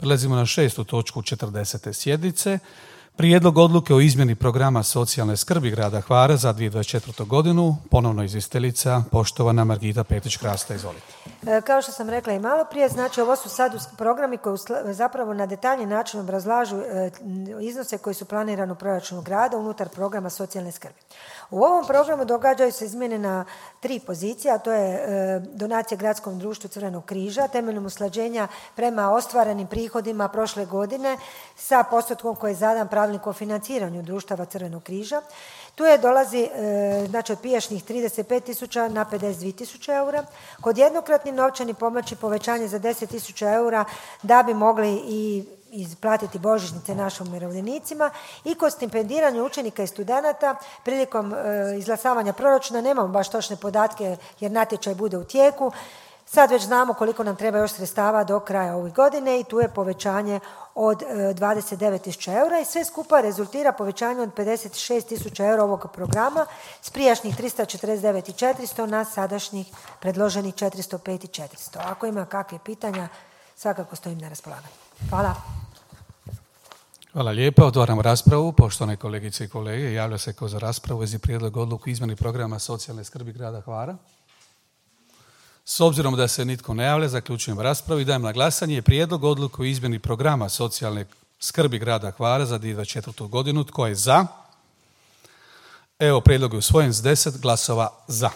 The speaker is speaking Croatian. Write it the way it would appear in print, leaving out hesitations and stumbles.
Prelazimo na 6. točku 40. sjednice. Prijedlog odluke o izmjeni programa socijalne skrbi grada Hvara za 2024. godinu. Ponovno izvjestiteljica, poštovana Margita Petrić-Krasta, izvolite. Kao što sam rekla i malo prije, znači ovo su sad programi koji zapravo na detaljni način obrazlažu iznose koji su planirani u proračunu grada unutar programa socijalne skrbi. U ovom programu događaju se izmjene na 3 pozicije, a to je donacija Gradskom društvu Crvenog križa temeljem usklađenja prema ostvarenim prihodima prošle godine sa postotkom koji je zadan pravilnik o financiranju društava Crvenog križa. Tu je dolazi znači od prijašnjih 35.000 na 52.000 eura. Kod jednokratnih novčanih pomoći povećanje za 10.000 eura da bi mogli i isplatiti božićnice našim umirovljenicima i kod stipendiranja učenika i studenata prilikom izglasavanja proračuna nemamo baš točne podatke jer natječaj bude u tijeku. Sad već znamo koliko nam treba još sredstava do kraja ove godine i tu je povećanje od 29.000 eura i sve skupa rezultira povećanje od 56.000 eura ovog programa s prijašnjih 349.400 na sadašnjih predloženih 405.400. Ako ima kakve pitanja, svakako stojim na raspolaganju. Hvala. Hvala lijepa. Otvaram raspravu. Poštovane kolegice i kolege, javlja se ko za raspravu vezi prijedlog odluku izmjeni programa socijalne skrbi grada Hvara. S obzirom da se nitko ne javlja, zaključujem raspravu i dajem na glasanje prijedlog odluke o izmjeni programa socijalne skrbi grada Hvara za 2024. godinu. Tko je za? Evo, prijedlog je usvojen s 10 glasova za.